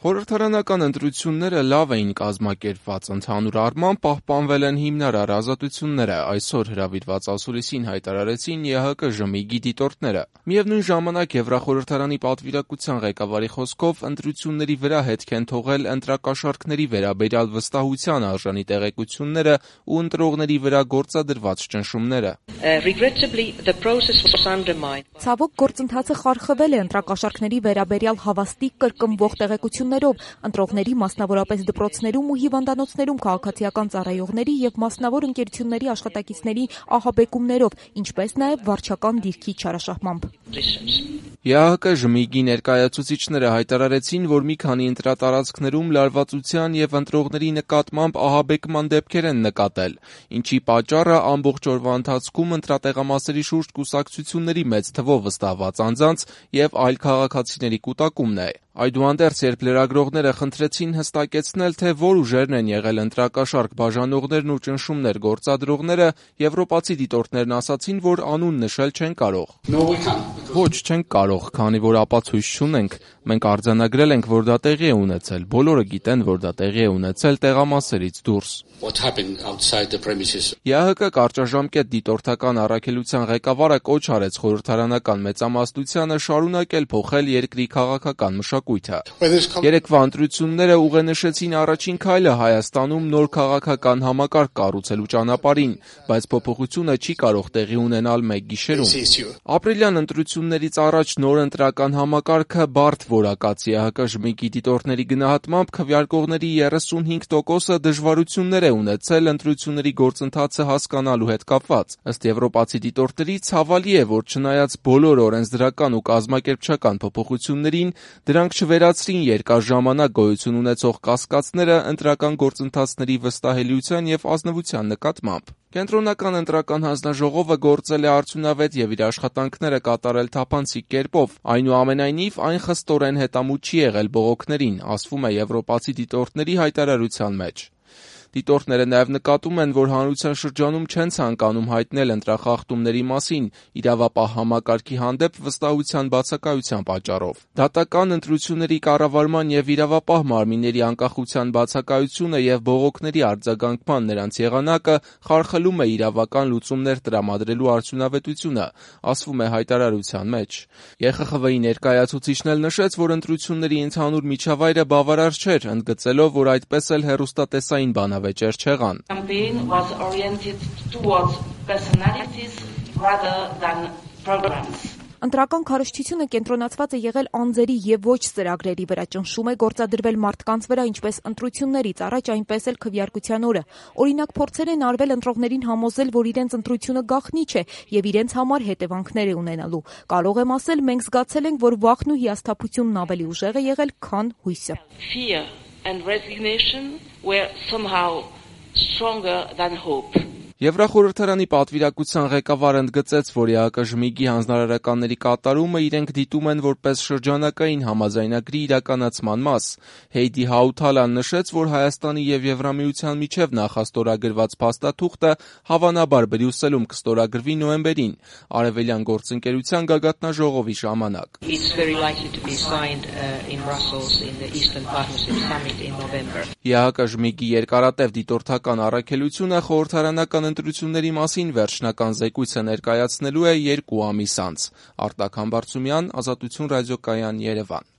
Խորհրդարանական ընտրությունները լավ էին կազմակերպված, ընդհանուր առմամբ պահպանվել են հիմնարար ազատությունները, այսօր հրավիրված ասուլիսին հայտարարեցին ԵՀԿ ԺՄԻԳ-ի դիտորդները։ Միևնույն ժամանակ Եվրախորհրդարանի պատվիրակության ղեկավարի խոսքով ընտրությունների վրա հետք են թողել ընտրակաշառքների վերաբերյալ վստահության արժանի տեղեկությունները ու ընտրողների վրա գործադրված ճնշումները։ Ցավոք գործընթացը խարխվել է ընտրակաշառքների վերաբերյալ հավաստիք կրկնվող տեղեկություններով, ընտրողների, մասնավորապես դպրոցներում ու հիվանդանոցներում քաղաքացիական ծառայողների և մասնավոր ընկերությունների աշխատակիցների ահաբեկումներով, ինչպես նաև վարչական դիրքի չարաշահմամբ։ ԵԱՀԿ ԺՄԻԳ-ի ներկայացուցիչները հայտարարեցին, որ մի քանի ընտրատարածքներում լարվածության և ընտրողների նկատմամբ ահաբեկման դեպքեր են նկատել, ինչի պատճառը ամբողջ օրվա ընթացքում ընտրատեղամասերի շուրջ կուսակցությունների մեծ թվով վստահված անձանց և այլ քաղաքացիների կուտակումն է։ Այդուհանդերձ, երբ լրագրողները խնդրեցին հստակեցնել, թե որ ուժերն են եղել ընտրակաշառք բաժանողներն ու ճնշումներ գործադրողները, եվրոպացի դիտորդներն ասացին, որ անուն նշել չեն կարող։ Ոչ, չենք կարող, քանի որ ապացույց չունենք։ Մենք արձանագրել ենք, որ դա տեղի է ունեցել, բոլորը գիտեն, որ դա տեղի է ունեցել տեղամասերից դուրս։ ԵԱՀԿ կարճաժամկետ դիտորդական առաքելության ղեկավարը կոչ արեց խորհրդարանական մեծամասնությանը շարունակել փոխել երկրի քաղաքական մշակույթը։ Երեկվա ընտրությունները ուղենշեցին առաջին քայլը Հայաստանում նոր քաղաքական համակարգ կառուցելու ճանապարհին, բայց փոփոխությունը չի կարող տեղի ունենալ մեկ գիշերում։ Ապրիլյան ընտրություններից առաջ նոր ընտրական համակարգը բարդ որակաց ԵԱՀԿ ԺՄԻԳ-ի դիտորդների գնահատմամբ քվեարկողների 35%-ը դժվարություններ է ունեցել ընտրությունների գործընթացը հասկանալու հետ կապված։ Ըստ եվրոպացի դիտորդների, ցավալի է, որ չնայած բոլոր օրենսդրական ու կազմակերպչական փոփոխություններին, դրանք չվերացրին երկար ժամանակ գոյություն ունեցող կասկածները ընտրական գործընթացների վստահելիության և ազնվության նկատմամբ։ Կենտրոնական ընտրական հանձնաժողովը գործել է արդյունավետ և իր աշխատանքները կատարել թափանցիկ կերպով, այնուամենայնիվ այն խստորեն հետամուտ չի եղել բողոքներին, ասվում է եվրոպացի դիտորդների հայտարարության մեջ։ Դիտորդները նաև նկատում են, որ հանրության շրջանում չեն ցանկանում հայտնել ընտրախախտումների մասին իրավապահ համակարգի հանդեպ վստահության բացակայության պատճառով։ Դատական ընտրությունների կառավարման և իրավապահ մարմինների անկախության բացակայությունը և բողոքների արձագանքման նրանց եղանակը խարխլում է իրավական լուծումներ տրամադրելու արդյունավետությունը, ասվում է հայտարարության մեջ։ ԵԽԽՎ-ի ներկայացուցիչն էլ նշեց, որ ընտրությունների ընդհանուր միջավայրը բավարար չէր, ընդգծելով, որ այդպես էլ հեռուստատեսային բանավեճեր չեղան։ Ընտրական քարոզչությունը կենտրոնացված է եղել անձերի և ոչ ծրագրերի վրա, ճնշում է գործադրվել մարդկանց վրա ինչպես ընտրություններից առաջ, այնպես էլ քվեարկության օրը։ Օրինակ, փորձեր են արվել ընտրողներին համոզել, որ իրենց ընտրությունը գաղտնի չէ և իրենց համար հետևանքներ է ունենալու։ Կարող եմ ասել, մենք զգացել ենք, որ վախն ու հիասթափությունն ավելի ուժեղ է եղել, քան հույսը։ Եվրախորհրդարանի պատվիրակության ղեկավարը ընդգծեց, որ ԵԱՀԿ ԺՄԻԳ-ի հանձնարարականների կատարումը իրենք դիտում են որպես շրջանակային համաձայնագրի իրականացման մաս։ Հեյդի Հաութալան նշեց, որ Հայաստանի և Եվրամիության միջև նախաստորագրված փաստաթուղթը հավանաբար Բրյուսելում կստորագրվի նոյեմբերին, Արևելյան գործընկերության գագաթնաժողովի ժամանակ։ ԵԱՀԿ ԺՄԻԳ-ի երկարատև դիտորդական առաքելությունը խորհրդարանական ընտրությունների մասին վերջնական զեկույցը ներկայացնելու է 2 ամիս անց։ Արտակ Համբարձումյան, Ազատություն ռադիոկայան, Երևան։